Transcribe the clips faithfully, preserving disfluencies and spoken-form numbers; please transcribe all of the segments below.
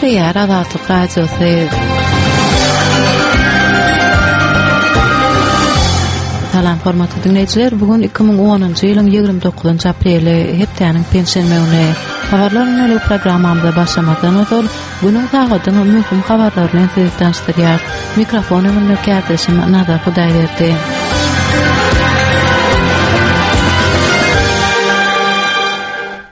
Gepleýär Azatlyk Radiosy. Salam hormatly dinleýjiler. Bu gün iki müň onunjy ýylyň ýigrimi dokuzynjy apreli, hepdäniň penşenbe güni. Habarlar gündelik programmamyza başlamazdan ozal, günüň sagadynyň möhüm habarlary bilen sizi tanyşdyrýar. Mikrofon öňünde kärdeşim Nazar Hudaýberdi.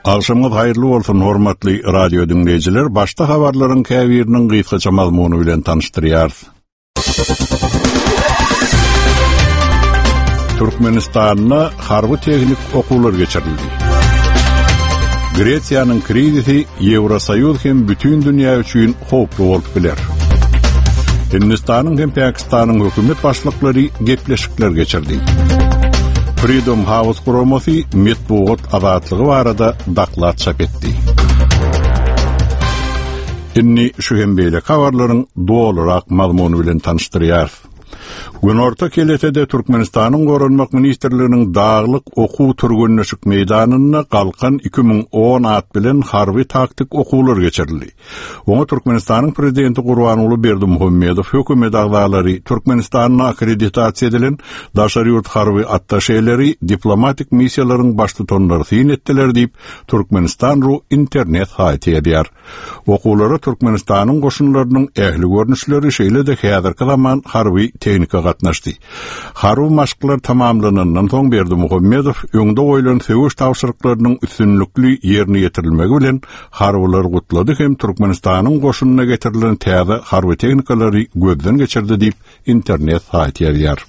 Agşamyňyz haýyrly bolsun, hormatly radio dinleýjiler. Başda habarlaryň käbiriniň gysgaça mazmuny bilen tanyşdyrýarys. Türkmenistanda harby tehnik okuwlar geçirildi. Gresiýanyň krizisi Ýewrosoýuz hem bütün dünýä üçin howply bolup biler. Hindistanyň hem Pakistanyň hökümet başlyklary gepleşikler geçirdi. Freedom House guramasy metbugat azatlygy barada doklad çap etdi. Indi şu hem beýle habarlaryň dolurak mazmuny bilen tanyşdyrýarys. Günorta Keletede Türkmenistanyň Goranmak Ministrliginiň daglyk okuw türgenleşik meýdanynda Galkan iki müň on at bilen harby taktik okuwlar geçirildi. Oňa Türkmenistanyň Prezidenti Gurbanguly Berdimuhamedow, hökümet agzalary, Türkmenistanyň akkreditasiýa edilen daşary ýurt harby attaşeleri, diplomatik missiýalaryň baştutanlary syn etdiler diýip, Türkmenistan ru internet saýty ýazýar. Okuwlara Türkmenistanyň goşunlarynyň ähli görnüşleri, şeýle-de häzirki zaman harby tehnika gatnaşdy. Harby maşklar tamamlanandan soň Berdimuhamedow öňde goýlan söweş tabşyryklarynyň üstünlikli ýerine ýetirilmegi bilen harbylary gutlady hem Türkmenistanyň goşunyna getirilen täze harby tehnikalary gözden geçirdi diýip internet saýty ýazýar.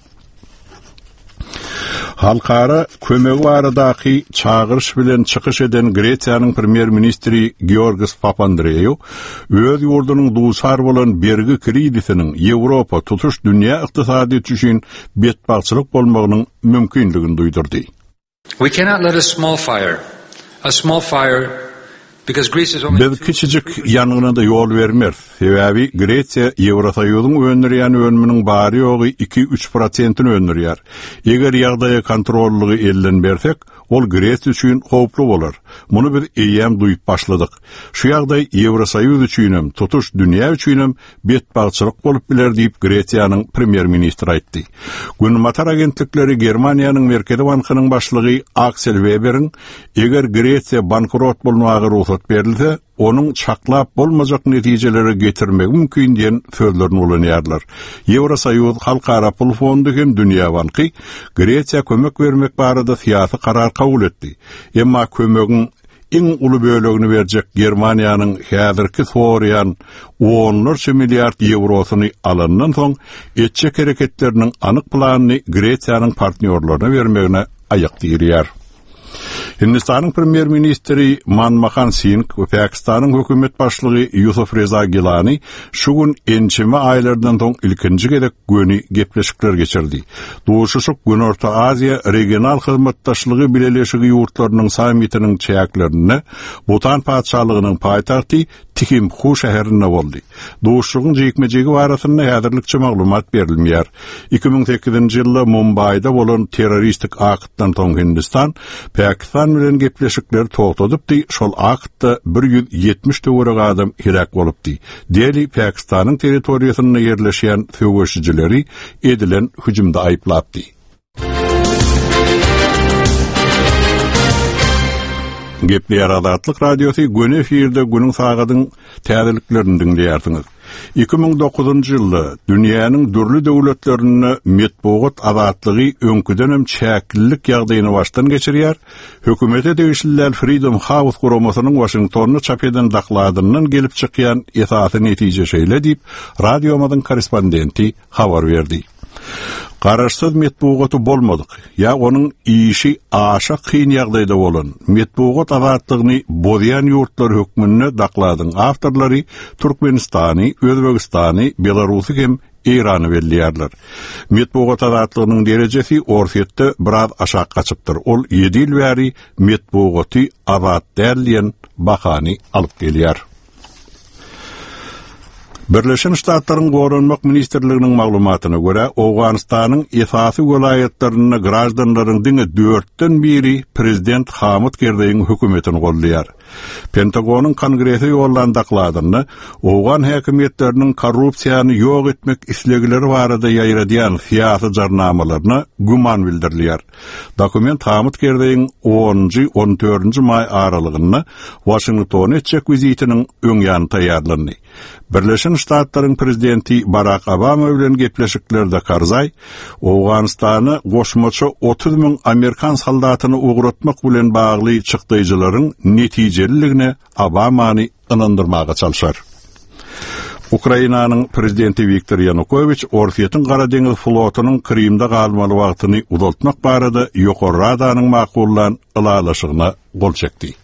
Halkara kömegi baradaky çagyryş bilen çykyş eden Gresiýanyň premýer-ministri Georgos Papandreou öz ýurdunyň duçar bolan bergi krizisiniň Ýewropa tutuş dünýä ykdysadyýeti üçin betbagtçylyk bolmagynyň mümkinligini duýdurdy. We cannot let a small fire, a small fire because Greece is only Biz kiçijik ýangyna da ýol bermeris. Sebäbi Gresiýa Ýewrosoýuzyň öndürýän önüminiň bary ýogy iki-üç prosentini öndürýär. Eger ýagdaýa kontrollygy elden bersek, ol Gresiýa üçin howply bolar. Muny biz eýýäm duýup başladyk. Şu ýagdaý Ýewrosoýuz üçinem, tutuş dünýä üçinem betbagtçylyk bolup biler diýip Gresiýanyň premýer-ministri aýtdy. Günbatar agentlikleri Germaniýanyň Merkezi bankynyň başlygy Aksel Weberiň eger Gresiýa bankrot bolmaga rugsat berilse, onuň çaklap bolmajak netijelere getirmegi mümkin diýen sözlerini ulanýarlar. Ýewrosoýuz, Halkara Pul Fondy hem Dünýä Banky Gresiýa kömek bermek barada syýasy karar kabul etdi. Emma kömegiň iň uly bölegini berjek Germaniýanyň häzirki soraýan onlarça milliard ýewrosyny alandan soň etjek hereketleriniň anyk planyny Gresiýanyň partnýorlaryna bermegine aýak dirýär. Hindistanyň premýer-ministri Manmohan Singh we Pakistanyň hökümet başlygy Yusuf Reza Gilani şu gün ençeme aýlardan soň ilkinji gezek göni gepleşikler geçirdi. Duşuşyk Günorta Aziýa regional hyzmatdaşlygy bileleşigi ýurtlarynyň sammitiniň çäklerinde Butan patyşalygynyň paýtagty Thimphu şäherinde boldy. Duşuşygyň jikme-jigi barasynda häzirlikçe maglumat berilmeýär. Iki müň sekizinji ýylda Mumbaýda bolan terroristik aktdan soň Hindistan Pakistan bilen gepleşikleri togtadypdy, şol aktda bir ýüz ýetmiş töwerek adam heläk bolupdy. Deli Pakistanyň territoriýasynda ýerleşýän söweşijileri edilen hüjümde aýyplapdy. Gepleýär Azatlyk Radiosy, göni efirde günüň sagadyň täzeliklerini diňleýärsiňiz. Iki müň dokuzynjy ýylda dünýäniň dürli döwletlerinde metbugat azatlygy öňküdenem çäklilik ýagdaýyny başdan geçirýär. Hökümete degişli däl Freedom House guramasynyň Washingtonda çap eden dokladyndan gelip çykýan esasy netije şeýle diýip, radiomyzyň korrespondenti habar berdi. Garaşsyz metbugaty bolmadyk, ýa onuň işi aşa kyn ýagdaýda bolan metbugat azatlygyny bozýan ýurtlar hökmünde dokladyň awtorlary Türkmenistany, Özbegistany, Belarusy hem Eýrany belleýärler. Metbugat azatlygynyň derejesi Orsýetde biraz aşak gaçypdyr. Ol ýedi ýyl bäri metbugaty azat däl diýen bahany alyp gelýär. Birleşen Ştatlaryň Goranmak Ministrliginiň maglumatyna görä, Owganystanyň esasy welaýatlarynda graždanlaryň diňe dörtden biri prezident Hamid Kerzeýiň hökümetini goldaýar. Pentagonyň Kongrese ýollan dokladynda Owgan häkimiýetleriniň korrupsiýany ýok etmek islegleri barada ýaýradýan syýasy jarnamalaryna güman bildirilýär. Dokument Hamid Kerzeýiň onunjy on dördünji maý aralygynda Waşingtona etjek wizitiniň öň ýany taýýarlandy. Birleşen Ştatlaryň prezidenti Barak Obama bilen gepleşiklerde Karzaý Owganystana goşmaça otuz müň Amerikan soldatyny ugratmak bilen bagly çykdaýjylaryň netijeliligine Obamany ynandyrmaga çalşar. Ukrainanyň prezidenti Wiktor Ýanukowiç Orsýetiň Gara deňiz flotunyň Krymda galmaly wagtyny uzaltmak barada Ýokary Radanyň makullan ylalaşygyna gol çekdi.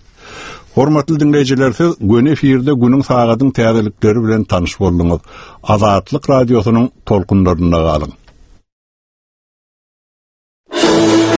Hormatly dinleýjiler, siz göni efirde günüň sagadyň täzelikleri bilen tanyş bolduňyz. Azatlyk radiosynyň tolkunlarynda galyň.